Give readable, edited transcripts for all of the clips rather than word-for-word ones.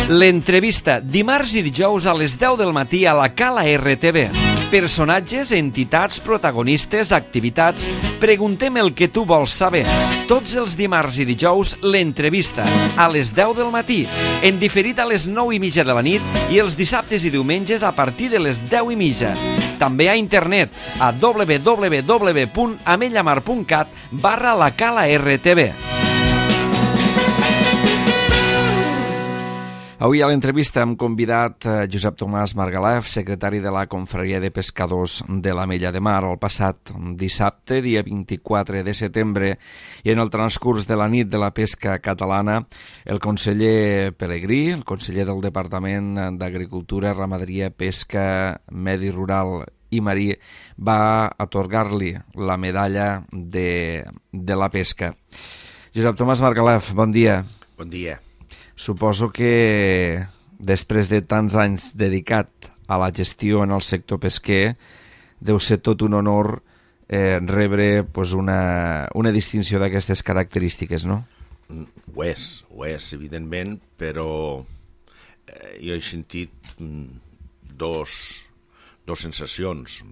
L'entrevista, dimarts i dijous a les 10 del matí a la Cala RTV. Personatges, entitats, protagonistes, activitats... Preguntem el que tu vols saber. Tots els dimarts i dijous, l'entrevista, a les 10 del matí, en diferit a les 9:30 de la nit i els dissabtes i diumenges a partir de les 10:30. També a internet a www.amellamar.cat/la Cala RTV. Avui a l'entrevista hem convidat Josep Tomàs Margalef, secretari de la Confraria de Pescadors de l'Amella de Mar, el passat dissabte, dia 24 de setembre, i en el transcurs de la nit de la pesca catalana, el conseller Pelegrí, el conseller del Departament d'Agricultura, Ramaderia, Pesca, Medi Rural i Marí, va atorgar-li la medalla de la pesca. Josep Tomàs Margalef, bon dia. Bon dia. Suposo que després de tants anys dedicat a la gestió en el sector pesquer deu ser tot un honor rebre una distinció d'aquestes característiques, no? Ho és, evidentment, però jo he sentit dos sensacions.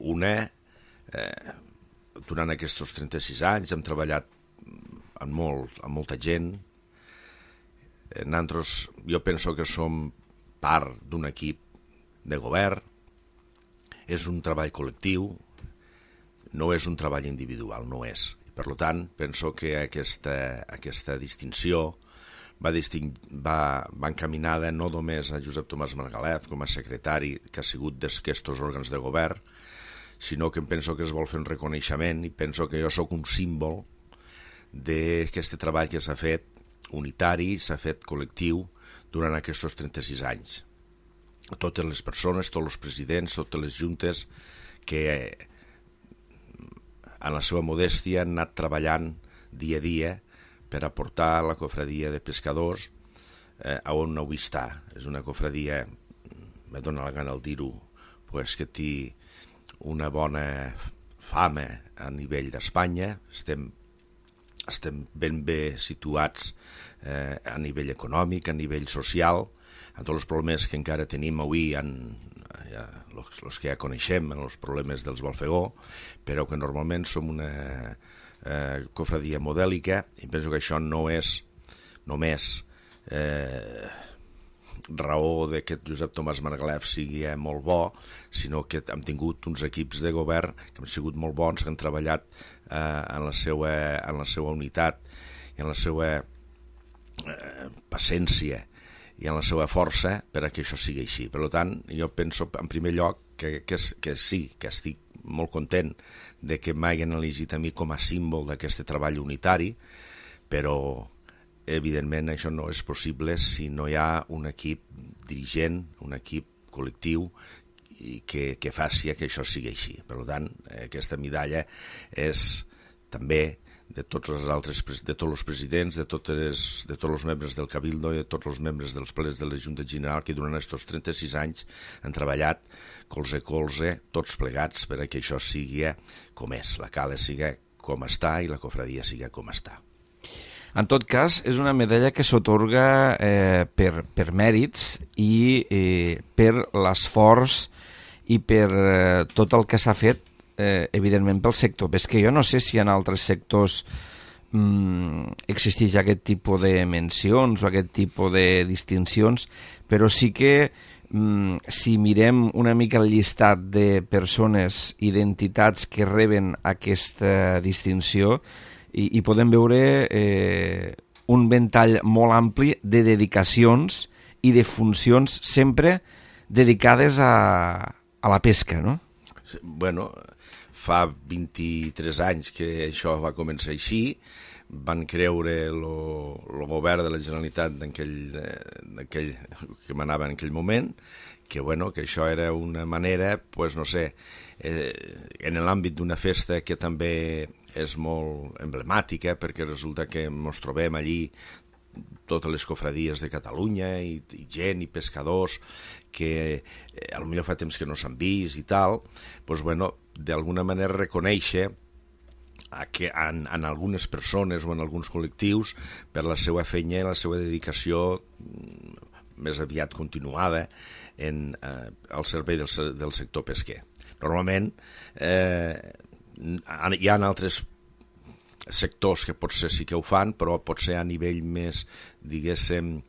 Una, durant aquests 36 anys hem treballat amb molta gent. Nosaltres, jo penso que som part d'un equip de govern. És un treball col·lectiu, no és un treball individual, no és. Per tant, penso que aquesta distinció va encaminada no només a Josep Tomàs Margalef com a secretari que ha sigut d'aquests òrgans de govern, sinó que penso que es vol fer un reconeixement i penso que jo sóc un símbol d'aquest treball que s'ha fet unitari, s'ha fet col·lectiu durant aquests 36 anys. Totes les persones, tots els presidents, totes les juntes que en la seva modèstia han anat treballant dia a dia per aportar la cofradia de pescadors a on avui està. És una cofradia, me dóna la gana el dir-ho, que té una bona fama a nivell d'Espanya. Estem ben bé situats a nivell econòmic, a nivell social, amb tots els problemes que encara tenim avui, els que ja coneixem, els problemes dels balfegó, però que normalment som una cofradia modèlica, i penso que això no és només raó que Josep Tomàs Margalef sigui molt bo, sinó que hem tingut uns equips de govern que han sigut molt bons, que han treballat en la seva unitat i en la seva paciència i en la seva força per a que això sigui així. Per tant, jo penso, en primer lloc, que sí, que estic molt content de que m'hagin elegit a mi com a símbol d'aquest treball unitari, però evidentment això no és possible si no hi ha un equip dirigent, un equip col·lectiu que faci que això sigui així. Per tant, aquesta medalla és també de tots els presidents, de tots els membres del Cabildo i de tots els membres dels plens de la Junta General que durant aquests 36 anys han treballat colze a colze, tots plegats, per a que això sigui com és, la cala sigui com està i la cofradia sigui com està. En tot cas, és una medalla que s'atorga per mèrits i per l'esforç i per tot el que s'ha fet, evidentment, pel sector pesquer. Jo no sé si en altres sectors existeix aquest tipus de mencions o aquest tipus de distincions, però sí que si mirem una mica el llistat de persones i d'entitats que reben aquesta distinció, i podem veure un ventall molt ampli de dedicacions i de funcions sempre dedicades a la pesca, no? Bueno, fa 23 anys que això va començar així, van creure el govern de la Generalitat que manava en aquell moment, que això era una manera, no sé, en l'àmbit d'una festa que també és molt emblemàtica, perquè resulta que ens trobem allí totes les cofradies de Catalunya i gent i pescadors que potser fa temps que no s'han vist i tal, d'alguna manera reconèixer que en algunes persones o en alguns col·lectius per la seva feina i la seva dedicació més aviat continuada al servei del sector pesquer. Normalment hi ha altres sectors que potser sí que ho fan, però potser a nivell més, diguéssim,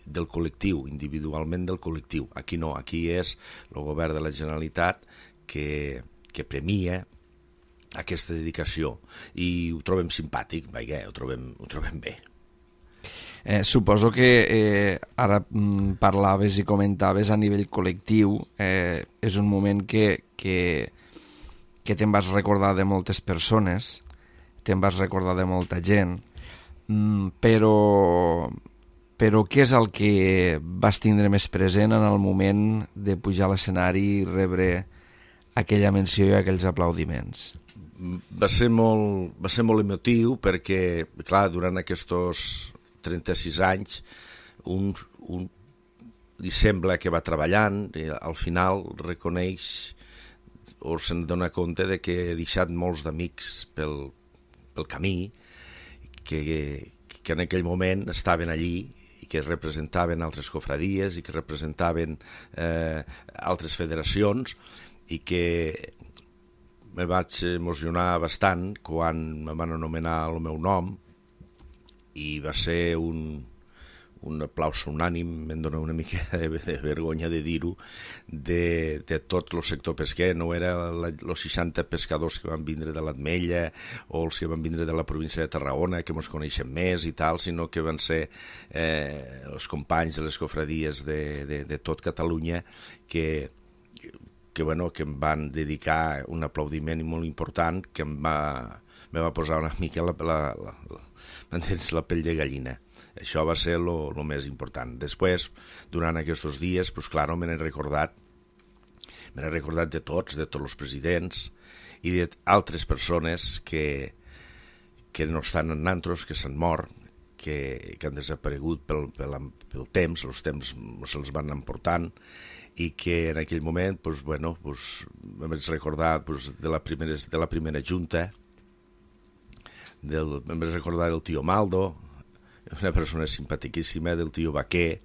del col·lectiu, individualment del col·lectiu. Aquí no, aquí és el govern de la Generalitat que premia aquesta dedicació i ho trobem simpàtic, ho trobem bé. Suposo que ara parlaves i comentaves a nivell col·lectiu, és un moment que te'n vas recordar de moltes persones, te'n vas recordar de molta gent, però què és el que vas tindre més present en el moment de pujar a l'escenari i rebre aquella menció i aquells aplaudiments? Va ser molt emotiu perquè, clar, durant aquests 36 anys li sembla que va treballant i al final reconeix o se'n dona compte de que ha deixat molts d'amics pel camí que en aquell moment estaven allí i que representaven altres cofradies i que representaven altres federacions i que me vaig emocionar bastant quan me van anomenar el meu nom i va ser un aplaus unànim, em dona una mica de vergonya de dir-ho, de tot el sector pesquer. No era els 60 pescadors que van vindre de l'Ametlla o els que van vindre de la província de Tarragona, que ens coneixen més i tal, sinó que van ser els companys de les cofradies de tot Catalunya que em van dedicar un aplaudiment molt important que me va posar una mica la pell de gallina. Això va ser el més important. Després, durant aquests dies, clar, me n'he recordat de tots els presidents i d'altres persones que no estan en nantros, que s'han mort, que han desaparegut pel temps, els temps se'ls van emportant, i que en aquell moment em vaig recordar de la primera junta, em vaig recordar del tio Maldo, una persona simpaticíssima, del tio Baquer,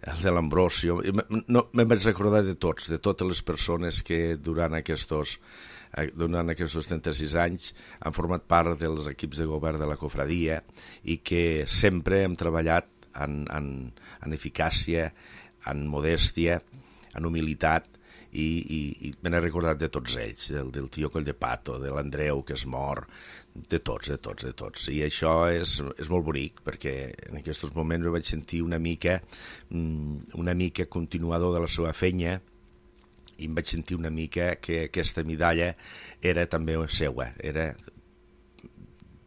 el de l'Ambrosio. Me'n vaig recordar de totes les persones que durant aquests 36 anys han format part dels equips de govern de la cofradia i que sempre hem treballat en eficàcia, en modèstia, en humilitat, i me n'he recordat de tots ells, del tio Colldepato, de l'Andreu, que es mor, de tots. I això és molt bonic, perquè en aquests moments me vaig sentir una mica continuador de la seva feina i em vaig sentir una mica que aquesta medalla era també seua, era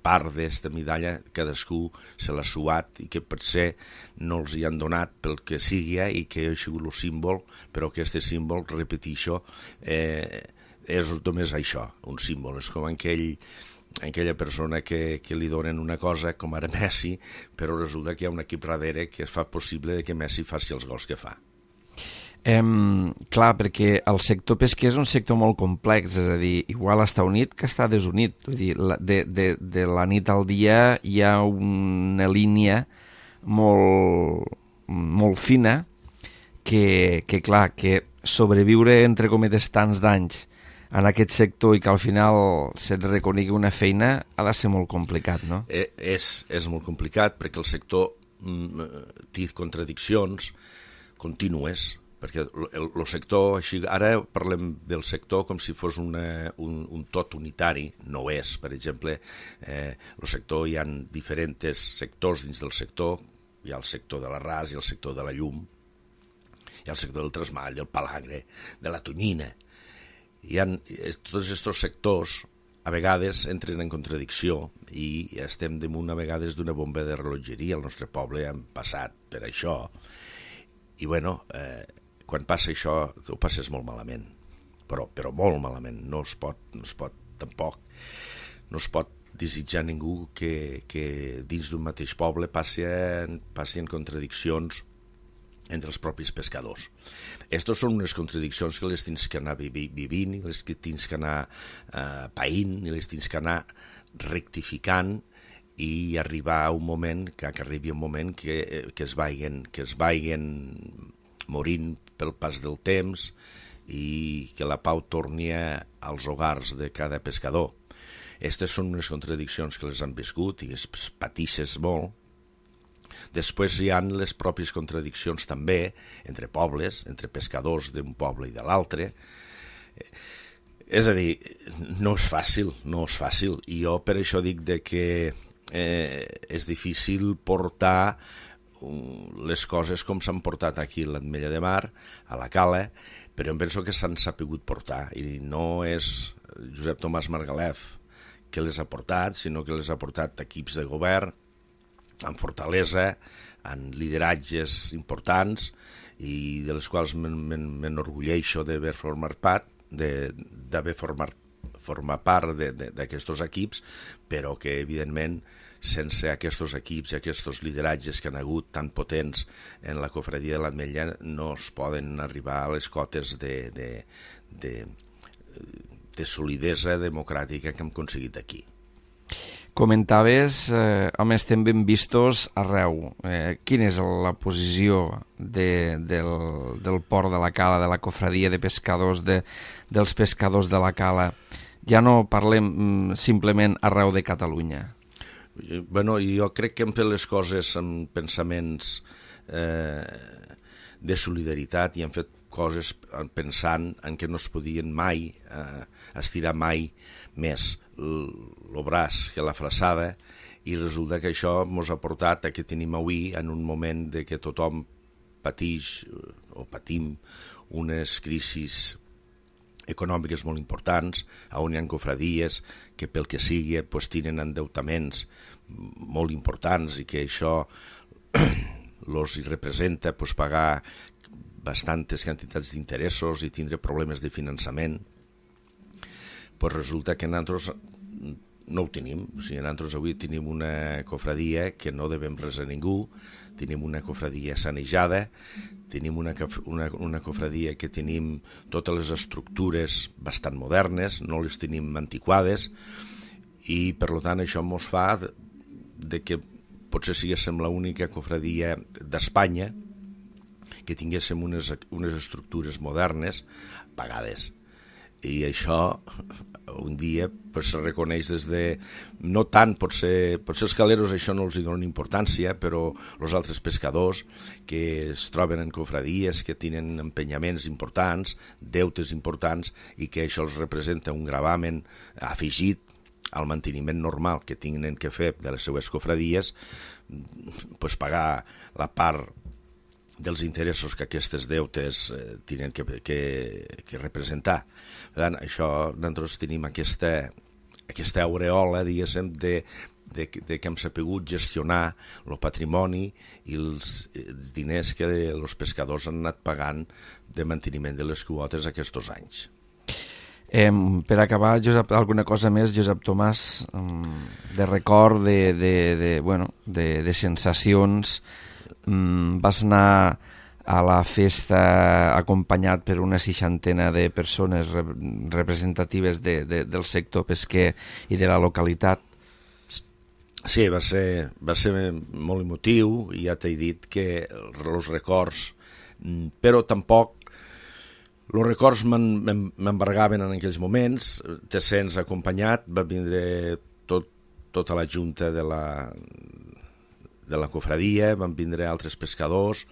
part d'aquesta medalla, cadascú se l'ha suat i que potser no els hi han donat pel que sigui i que ha sigut el símbol, però aquest símbol, repeteixo, és només això, un símbol. És com aquella persona que li donen una cosa, com ara Messi, però resulta que hi ha un equip darrere que fa possible que Messi faci els gols que fa. Clar, perquè el sector pesquer és un sector molt complex, és a dir, igual està unit que està desunit. Vull dir, de la nit al dia hi ha una línia molt fina que clar, que sobreviure entre cometes tants d'anys en aquest sector i que al final se't reconegui una feina ha de ser molt complicat, no? És molt complicat perquè el sector té contradiccions contínues, perquè el sector, ara parlem del sector com si fos un tot unitari, no ho és. Per exemple, el sector, hi ha diferents sectors dins del sector, hi ha el sector de l'arràs, hi ha el sector de la llum, hi ha el sector del tresmall, del palangre, de la tonyina. Tots aquests sectors a vegades entren en contradicció i estem damunt a vegades d'una bomba de rellotgeria. Al nostre poble hem passat per això i quan passa això ho passes molt malament, però molt malament. No es pot desitjar a ningú que dins d'un mateix poble passin contradiccions entre els propis pescadors. Aquestes són unes contradiccions que les tens que anar vivint i les que tens que anar païnt i les tens que anar rectificant i arribar a un moment, que arribi un moment que es vagin morint pel pas del temps i que la pau torni als hogars de cada pescador. Aquestes són unes contradiccions que les han viscut i es patixes molt. Després hi ha les pròpies contradiccions també entre pobles, entre pescadors d'un poble i de l'altre. És a dir, no és fàcil. I jo per això dic que és difícil portar les coses com s'han portat aquí a l'Ametlla de Mar, a la Cala, però em penso que s'han sapigut portar. I no és Josep Tomàs Margalef que les ha portat, sinó que les ha portat equips de govern, amb fortalesa, amb lideratges importants i de les quals m'enorgulleixo d'haver format part d'aquests equips, però que evidentment sense aquests equips i aquests lideratges que han hagut tan potents en la cofradia de l'Ametlla no es poden arribar a les cotes de solidesa democràtica que hem aconseguit aquí. Comentaves, home, estem ben vistos arreu. Quina és la posició del port de la Cala, de la cofradia de pescadors, dels pescadors de la Cala? Ja no parlem simplement arreu de Catalunya. Bueno, jo crec que hem fet les coses amb pensaments de solidaritat i hem fet coses pensant en que no es podien mai estirar mai més el braç que la fraçada, i resulta que això ens ha portat a que tenim avui en un moment de que tothom patix o patim unes crisis econòmiques molt importants, on hi ha cofradies que pel que sigui tenen endeutaments molt importants i que això els representa pagar bastantes quantitats d'interessos i tindre problemes de finançament. Resulta que nosaltres no ho tenim. O sigui, nosaltres avui tenim una cofradia que no devem res a ningú, tenim una cofradia sanejada, tenim una cofradia que tenim totes les estructures bastant modernes, no les tenim antiquades, i per tant això ens fa que potser siguéssim l'única cofradia d'Espanya que tinguéssim unes estructures modernes pagades. I això un dia se reconeix des de... No tant, potser els caleros això no els donen importància, però els altres pescadors que es troben en cofradies, que tenen empenyaments importants, deutes importants, i que això els representa un gravamen afegit al manteniment normal que tenen que fer de les seues cofradies, pagar la part dels interessos que aquestes deutes tenen que representar. Per tant, això, nosaltres tenim aquesta aureola, diguéssim, de que hem sabut gestionar el patrimoni i els diners que els pescadors han anat pagant de manteniment de les quotes aquests anys. Per acabar, Josep, alguna cosa més, Josep Tomàs, de record, de sensacions. Vas anar a la festa acompanyat per una 60 de persones representatives del sector pesquer i de la localitat. Sí, va ser molt emotiu, i ja t'he dit que els records, però tampoc els records m'embargaven en aquells moments. Te sents acompanyat, va vindre tota la junta de la cofradia, van vindre altres pescadors,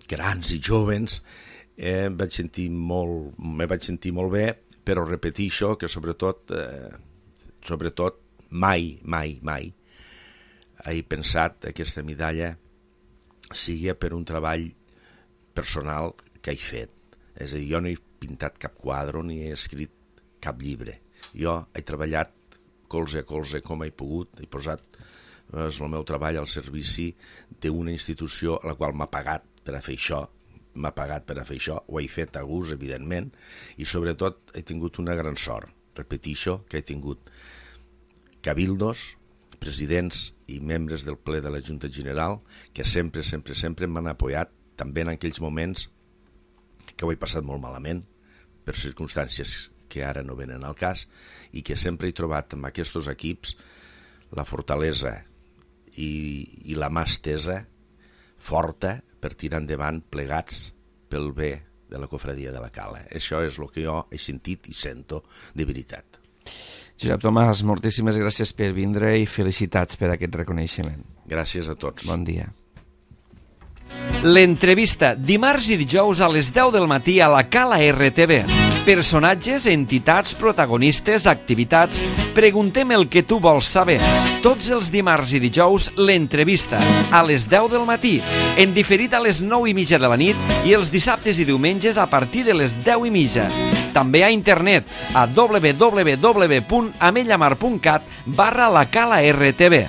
grans i jóvens. Me vaig sentir molt bé, però repeteixo que sobretot mai he pensat que aquesta medalla sigui per un treball personal que he fet. És a dir, jo no he pintat cap quadre ni he escrit cap llibre. Jo he treballat colze a colze com he pogut, he posat el meu treball al servici d'una institució a la qual m'ha pagat per a fer això, ho he fet a gust, evidentment, i sobretot he tingut una gran sort. Repeteixo que he tingut cabildos, presidents i membres del ple de la Junta General que sempre m'han apoyat, també en aquells moments que ho he passat molt malament, per circumstàncies que ara no venen al cas, i que sempre he trobat en aquests equips la fortalesa i la mà estesa, forta, per tirar endavant plegats pel bé de la cofradia de la Cala. Això és el que jo he sentit i sento de veritat. Josep Tomàs, moltíssimes gràcies per vindre i felicitats per aquest reconeixement. Gràcies a tots. Bon dia. L'entrevista, dimarts i dijous a les 10 del matí a la Cala RTV. Personatges, entitats, protagonistes, activitats. Preguntem el que tu vols saber. Tots els dimarts i dijous, l'entrevista, a les 10 del matí, en diferit a les 9:30 de la nit i els dissabtes i diumenges a partir de les 10:30. També a internet a www.amellamar.cat/la Cala RTV.